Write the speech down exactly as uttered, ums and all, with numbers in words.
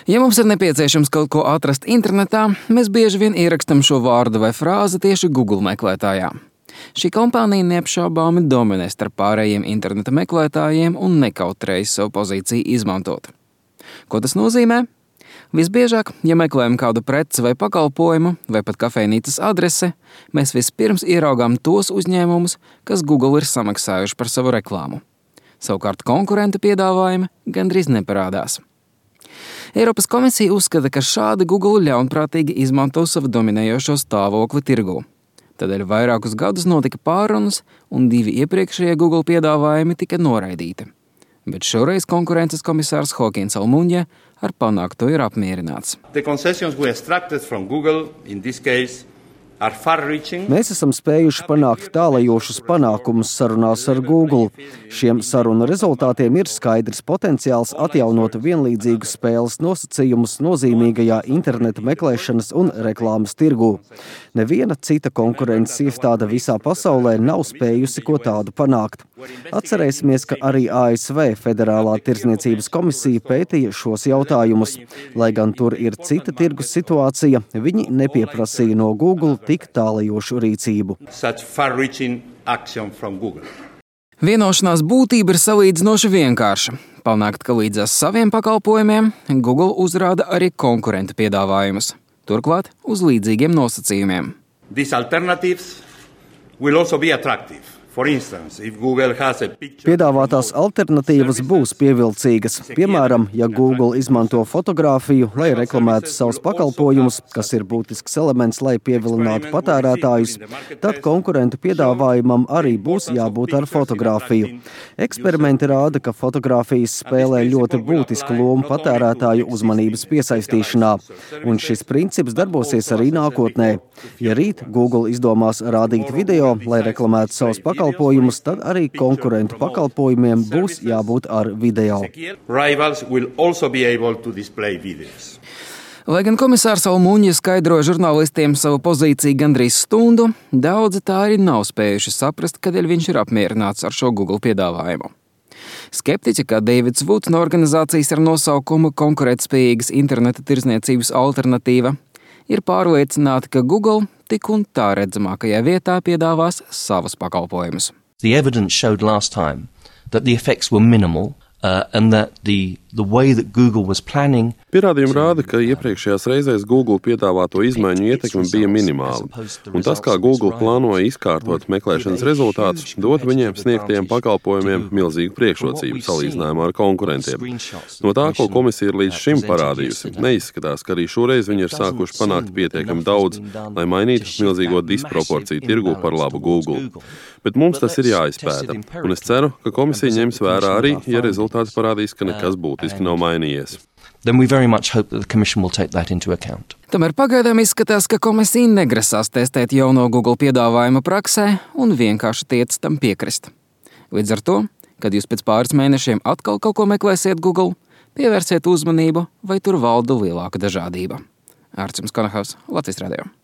Ja mums ir nepieciešams kaut ko atrast internetā, mēs bieži vien ierakstam šo vārdu vai frāzi tieši Google meklētājā. Šī kompānija neapšaubāmi dominē starp pārējiem interneta meklētājiem un nekautrējas savu pozīciju izmantot. Ko tas nozīmē? Visbiežāk, ja meklējam kādu preci vai pakalpojumu, vai pat kafejnīcas adrese, mēs vispirms ieraugām tos uzņēmumus, kas Google ir samaksājuši par savu reklāmu. Savukārt konkurentu piedāvājumi gandrīz neparādās. Eiropas komisija uzskata, ka šādi Google ļaunprātīgi izmanto savu dominējošo stāvokli tirgū. Tādēļ vairākus gadus notika pārunas, un divi iepriekšējie Google piedāvājumi tika noraidīti. Bet šoreiz konkurences komisārs Joaquins Almunia ar panākto ir apmierināts. Mēs esam spējuši panākt tālajošus panākumus sarunās ar Google. Šiem sarunu rezultātiem ir skaidrs potenciāls atjaunot vienlīdzīgus spēles nosacījumus nozīmīgajā interneta meklēšanas un reklāmas tirgū. Neviena cita konkurences iestāde visā pasaulē nav spējusi ko tādu panākt. Atcerēsimies, ka arī A S V Federālā tirdzniecības komisija pētīja šos jautājumus. Lai gan tur ir cita tirgus situācija, viņi nepieprasīja no Google tik tālajošu rīcību. Vienošanās būtība ir salīdzinoši vienkārša. Panākt, ka līdzās saviem pakalpojumiem Google uzrāda arī konkurentu piedāvājumus. Turklāt uz līdzīgiem nosacījumiem. Piedāvātās alternatīvas būs pievilcīgas. Piemēram, ja Google izmanto fotogrāfiju, lai reklamētu savus pakalpojumus, kas ir būtisks elements, lai pievilinātu patērētājus, tad konkurentu piedāvājumam arī būs jābūt ar fotogrāfiju. Eksperimenti rāda, ka fotogrāfijas spēlē ļoti būtisku lomu patērētāju uzmanības piesaistīšanā, un šis princips darbosies arī nākotnē. Ja rīt Google izdomās rādīt video, lai reklamētu savus pakalpojumus, tad arī konkurentu pakalpojumiem būs jābūt ar video. Lai gan komisārs Almunia skaidroja žurnālistiem savu pozīciju gandrīz stundu, daudzi tā arī nav spējuši saprast, kādēļ viņš ir apmierināts ar šo Google piedāvājumu. Skeptiķi, kā Davids Woods no organizācijas ar nosaukumu Konkurētspējīgas interneta tirdzniecības alternatīva, ir pārliecināti, ka Google tik un tā redzamākajā vietā piedāvās savus pakalpojumus. The evidence showed last time that the effects were minimal uh, and that the the way that Google was planning. Pierādījumi rāda, ka iepriekšējās reizēs Google piedāvāto izmaiņu ietekme bija minimāla, un tas, kā Google plānoja izkārtot meklēšanas rezultātus, dot viņiem sniegtajiem pakalpojumiem milzīgu priekšrocību salīdzinājumā ar konkurentiem. No tā, ko komisija ir līdz šim parādījusi, neizskatās, ka arī šoreiz viņi ir sākuši panākt pietiekami daudz, lai mainītu milzīgo disproporciju tirgu par labu Google. Bet mums tas ir jāizpēta, un es ceru, ka komisija ņems vērā arī, ja rezultāti parādīs, ka nekas būtiski nav mainījies. Then we very much hope that the Commission will take that into account. Tomēr pagaidām izskatās, ka komisija negrasās testēt jauno Google piedāvājumu praksē un vienkārši tiec tam piekrist. Līdz ar to, kad jūs pēc pāris mēnešiem atkal kaut ko meklēsiet Google, pievērsiet uzmanību, vai tur valda lielāka dažādība. Ārcis Konahaus, Latvijas radio.